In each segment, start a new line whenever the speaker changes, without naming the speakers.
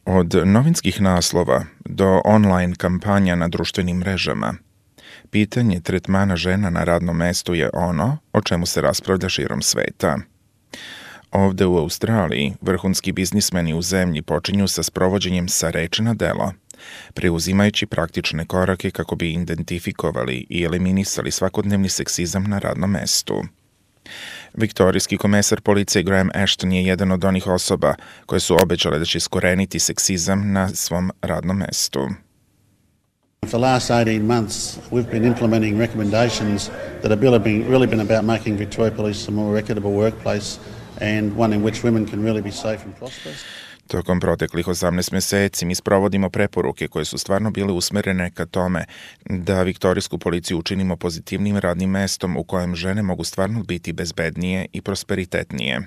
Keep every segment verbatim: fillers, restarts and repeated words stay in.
Od novinskih naslova do online kampanja na društvenim mrežama, pitanje tretmana žena na radnom mestu je ono o čemu se raspravlja širom sveta. Ovde u Australiji vrhunski biznismeni u zemlji počinju sa sprovođenjem sa reči na delo, preuzimajući praktične korake kako bi identifikovali i eliminisali svakodnevni seksizam na radnom mestu. Viktorijski komesar policije Graham Ashton je jedan od onih osoba koje su obećale da će iskoreniti seksizam na svom radnom mestu.
For the last eighteen months, we've been implementing recommendations that have really been about making Victoria Police a more equitable workplace and one in which women can really be safe and prosperous.
Tokom proteklih osamnaest meseci mi sprovodimo preporuke koje su stvarno bile usmerene ka tome da viktorijsku policiju učinimo pozitivnim radnim mestom u kojem žene mogu stvarno biti bezbednije i prosperitetnije.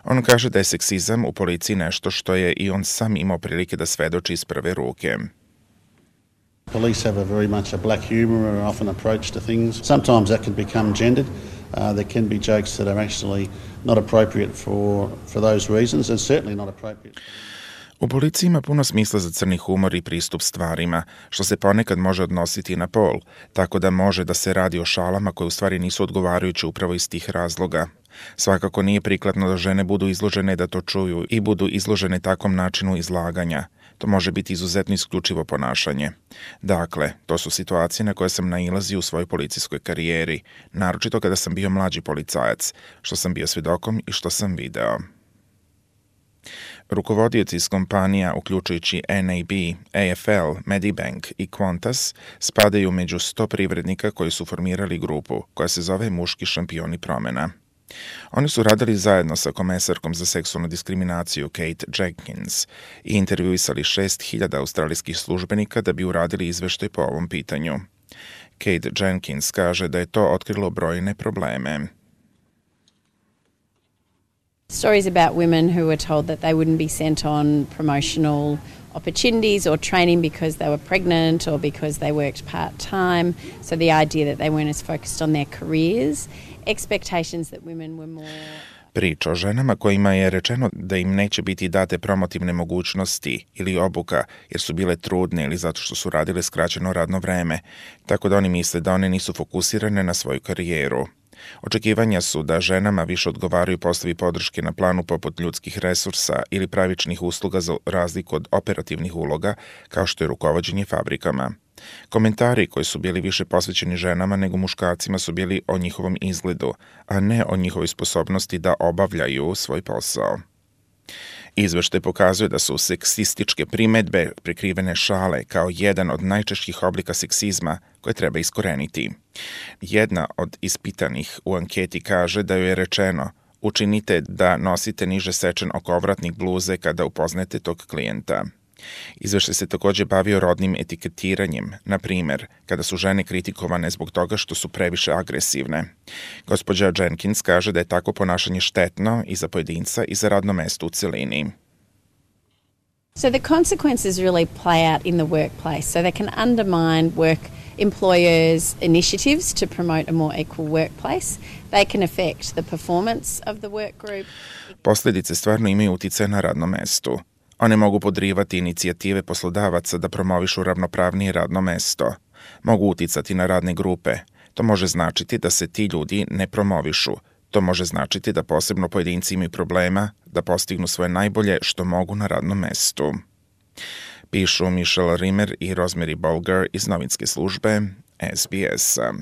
On kaže da je seksizam u policiji nešto što je i on sam imao prilike da svedoči iz prve ruke.
Police have a very much a black humor or often approach to things. Sometimes that can become gendered. Uh, there can be jokes that are actually not appropriate for, for those reasons and certainly not appropriate.
U policiji ima puno smisla za crni humor i pristup stvarima, što se ponekad može odnositi na pol, tako da može da se radi o šalama koje u stvari nisu odgovarajuće upravo iz tih razloga. Svakako nije prikladno da žene budu izložene da to čuju i budu izložene takvom načinu izlaganja. To može biti izuzetno isključivo ponašanje. Dakle, to su situacije na koje sam nailazio u svojoj policijskoj karijeri, naročito kada sam bio mlađi policajac, što sam bio svedokom i što sam video. Rukovodioci iz kompanija, uključujući N A B, A F L, Medibank i Qantas, spadaju među sto privrednika koji su formirali grupu koja se zove Muški šampioni promena. Oni su radili zajedno sa komesarkom za seksualnu diskriminaciju Kate Jenkins i intervjuisali šest hiljada australijskih službenika da bi uradili izveštaj po ovom pitanju. Kate Jenkins kaže da je to otkrilo brojne probleme.
Stories about women who were told that they wouldn't be sent on promotional opportunities or training because they were pregnant or because they worked part-time. So the idea that they weren't as focused on their careers. Expectations that women were more...
Priča o ženama kojima je rečeno da im neće biti date promotivne mogućnosti ili obuka jer su bile trudne ili zato što su radile skraćeno radno vreme, tako da oni misle da one nisu fokusirane na svoju karijeru. Očekivanja su da ženama više odgovaraju poslovi podrške na planu poput ljudskih resursa ili pravičnih usluga za razliku od operativnih uloga kao što je rukovođenje fabrikama. Komentari koji su bili više posvećeni ženama nego muškarcima su bili o njihovom izgledu, a ne o njihovoj sposobnosti da obavljaju svoj posao. Izveštaj pokazuje da su seksističke primedbe, prikrivene šale kao jedan od najčešćih oblika seksizma koje treba iskoreniti. Jedna od ispitanih u anketi kaže da joj je rečeno: učinite da nosite niže sečen okovratnik bluze kada upoznate tog klijenta. Izveštaj se takođe bavio rodnim etiketiranjem, na primer, kada su žene kritikovane zbog toga što su previše agresivne. Gospođa Jenkins kaže da je tako ponašanje štetno i za pojedinca i za radno mesto u celini.
So the consequences really play out in the workplace, so they can undermine work employers' initiatives to promote a more equal workplace. They can affect the performance of the work group.
Posledice stvarno imaju uticaja na radnom mestu. One mogu podrivati inicijative poslodavaca da promovišu ravnopravnije radno mesto. Mogu uticati na radne grupe. To može značiti da se ti ljudi ne promovišu. To može značiti da posebno pojedinci imaju problema da postignu svoje najbolje što mogu na radnom mestu. Pišu Michelle Rimmer i Rosemary Bolger iz novinske službe S B S-a.